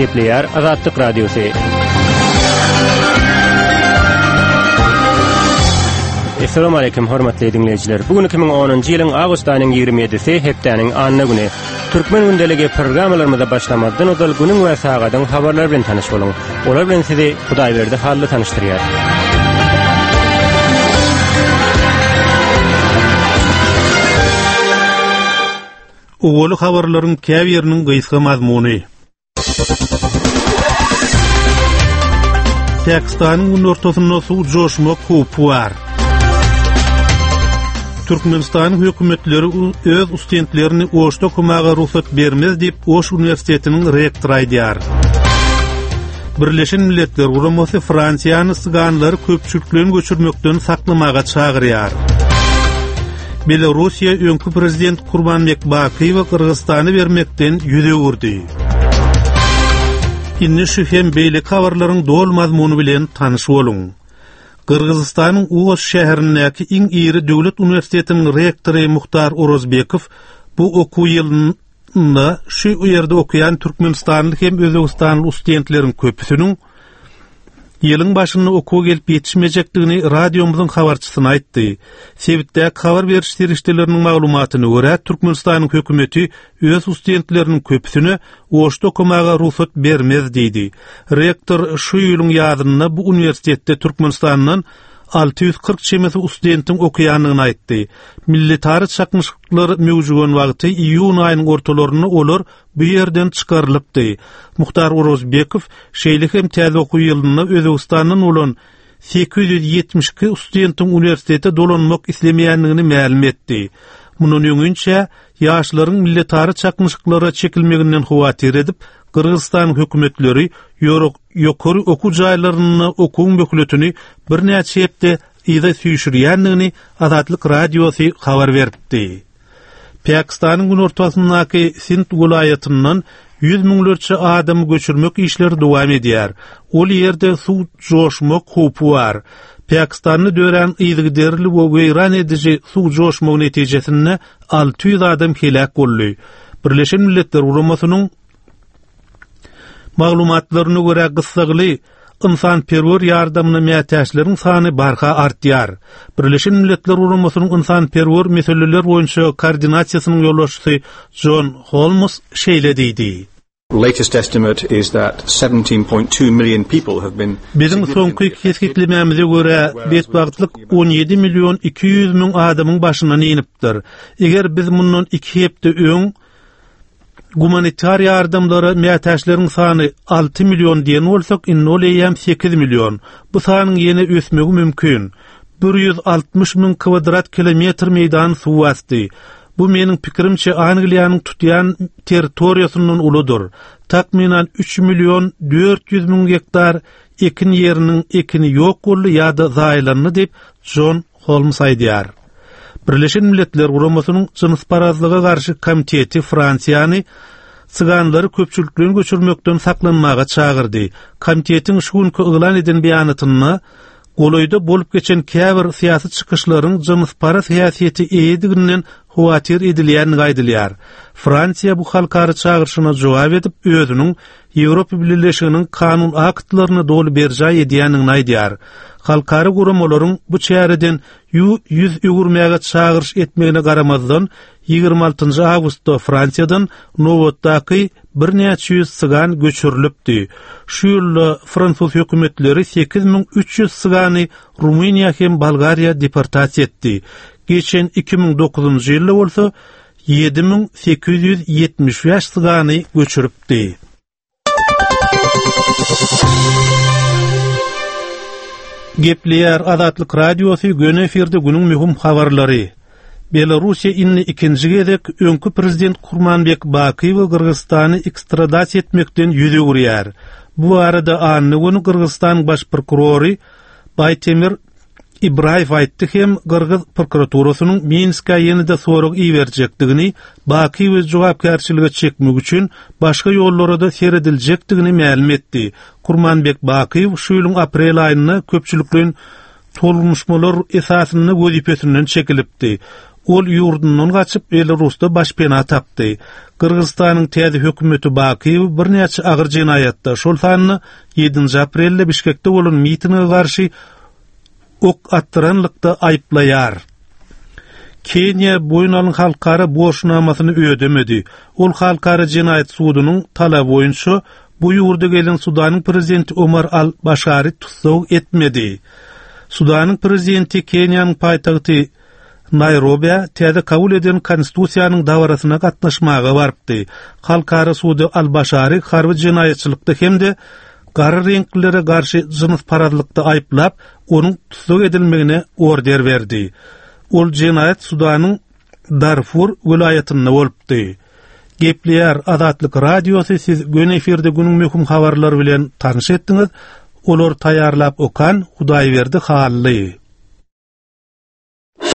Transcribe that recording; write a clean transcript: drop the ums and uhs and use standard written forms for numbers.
Gepleýär Azatlyk Radiosy. Essalamu aleýkum hormatly diňleýjiler. Bu gün 2010-njy ýylyň awgust aýynyň 27-si, hepdäniň anna güni. Türkmen gündeligi programmalarymyza başlamazdan ozal günüň we sagadyň habarlary bilen tanyş boluň. Olar bilen sizi Hudaýberdi Hally tanyşdyrýar. Owaly habarlaryň käbiriniň gysga mazmuny. Pakistanyň günortasynda suw joşmak howpy bar. Türkmenistanyň hökümetleri öz ustentlerini Oşda okamaga rugsat bermez diýip, Oş uniwersitetiniň rektory aýdýar. Birleşen Milletler Guramasy Fransiýany syganlary köpçülikleýin göçürmekden saklamaga çagyrýar. Belarussiýa öňki prezident Kurmanbek Bakyýewe Gyrgyzystana bermekden ýüz öwürdi. Indi şu hem beýleki habarlaryň doly mazmuny bilen tanyş boluň. Gyrgyzystanyň Oş şäherindäki iň iri döwlet uniwersitetiniň rektory Muhtar Orozbekow bu okuw ýylynda şu ýerde okaýan türkmenistanly hem özbegistanly studentleriň köpüsiniň ýylyň başynda okuwa gelip ýetişmejekdigini radiomyzyň habarçysyna aýtdy. Sebitdäki habar beriş serişdeleriniň maglumatyna görä, Türkmenistanyň hökümeti öz studentleriniň köpüsine Oşda okamaga rugsat bermez diýdi. Rektor şu ýylyň ýazynda bu uniwersitetde Türkmenistandan 640 çemesi studentiň okaýandygyny aýtdy. Milletara çaknyşyklar möwjügen wagty iýun aýynyň ortalarynda olar bu ýerden çykarylypdy. Muhtar Orozbekow şeýle hem täze okuw ýylynda Özbegistandan bolan 872 studentiň uniwersitete dolanmak islemeýändigini mälim etdi. Mundan öňinçä, ýaşlaryň milletara çaknyşyklara çekilmeginden howatyr edip, Gyrgyzystanyň hökümetleri ýokary okuw jaýlarynda okuwyň möhletini birnäçe hepde yza süýşürýändigini Azatlyk Radiosy habar beripdi. Pakistanyň günortasyndaky Sind welaýatyndan ýüz müňlerçe adamy göçürmek işleri dowam edýär. Ol ýerde suw joşmak howpy bar. Pakistanda dörän yzygiderli we weýran ediji suw joşmagy netijesinde 600 adam heläk boldy. Birleşen Milletler Guramasynyň Maglumatlaryna görä, gyssagly ynsanperwer ýardamyna mätäçleriň sany barha artýar. Birleşen Milletler Guramasynyň ynsanperwer meseleler boýunça koordinasiýasynyň ýolbaşçysy Jon Holmes şeýle diýdi. Latest estimate is that 17.2 million people have been Biziň soňky kesgitlemämize görä, betbagtlyk 17 million 200 müň adamyň başyndan inipdir. Eger biz mundan iki hepde öň Gumanitar ýardamlara mätäçleriň sany 6 million diýen bolsak, indi ol eýýäm 8 million. Bu sanyň ýene ösmegi mümkin. 160 müň kwadrat kilometr meýdany suw basdy. Bu meniň pikirimçe Angliýanyň tutýan territoriýasyndan uludyr. Takmynan 3 million 400 müň gektar ekin ýeriniň ekini ýok boldy ýa-da zaýalandy diýip, Jon Holms aýdýar. Birleşen Milletler Guramasynyň jynsparazlyga garşy komiteti Fransiýany syganlary köpçülikleýin göçürmekden saklanmaga çagyrdy. Komitetiň şu günki yglan eden beýanatynda golaýda bolup geçen käbir syýasy çykyşlaryň jynsparaz häsiýete eýediginden howatyr edilýändigi aýdylýar. Fransiýa bu halkara çagyryşyna jogap edip, özüniň Ýewropa Bileleşiginiň kanun aktlaryny doly berjaý edýändigini aýdýar. Halkara guramalaryň bu çäreden ýüz öwürmäge çagyryş etmegine garamazdan, 26 awgustda Fransiýadan nobatdaky birnäçe ýüz sygan göçürilipdi. Şu ýylda fransuz hökümetleri 8300 sygany Rumyniýa hem Bolgariýa deportasiýa etdi. Geçen 2009-njy ýylda bolsa 7875 sygany göçüripdi. Gepleýär Azatlyk Radiosy göni efirde günüň möhüm habarlary. Belarussiýa indi ikinji gezek öňki prezident Kurmanbek Bakyýewi Gyrgyzystana ekstradasiýa etmekden ýüz öwürýär. Bu barada anna güni Gyrgyzystanyň baş prokurory Baýtemir Ibraýew aýtdy hem gyrgyz prokuraturasynyň Minskä ýene-de sorag iberjekdigini, Bakyýewi jogapkärçilige çekmek üçin başga ýollara-da serediljekdigini mälim etdi. Kurmanbek Bakyýew şu ýylyň aprel aýynda köpçülikleýin tolgunyşmalar esasynda wezipesinden çekilipdi. Ol ýurdundan gaçyp, Belarusda başpena tapdy. Gyrgyzystanyň täze hökümeti Bakyýewi birnäçe agyr jenaýatda, şol sanda ýedinji aprelde Bişkekde bolan mitinge garşy ok atdyranlykda aýyplaýar. Keniýa boýun alyň halkara borçnamasyny ödemedi. Ol Halkara jenaýat sudunyň talaby boýunça bu ýurda gelen Sudanyň prezidenti Omar al-Başary tussag etmedi. Sudanyň prezidenti Keniýanyň paýtagty Naýrobä täze kabul eden Konstitusiýanyň dabarasyna gatnaşmaga barypdy. Halkara sudy al-Başary harby jenaýatçylykda hem-de gara reňklilere garşy jynsparazlykda aýyplap, onuň tussag edilmegine order berdi. Ol jenaýat Sudanyň Darfur welaýatynda bolupdy. Gepleýär Azatlyk Radiosy siz göni efirde günüň möhüm habarlary bilen tanyş etdiňiz. Olary taýýarlap okan Hudaýberdi Hally.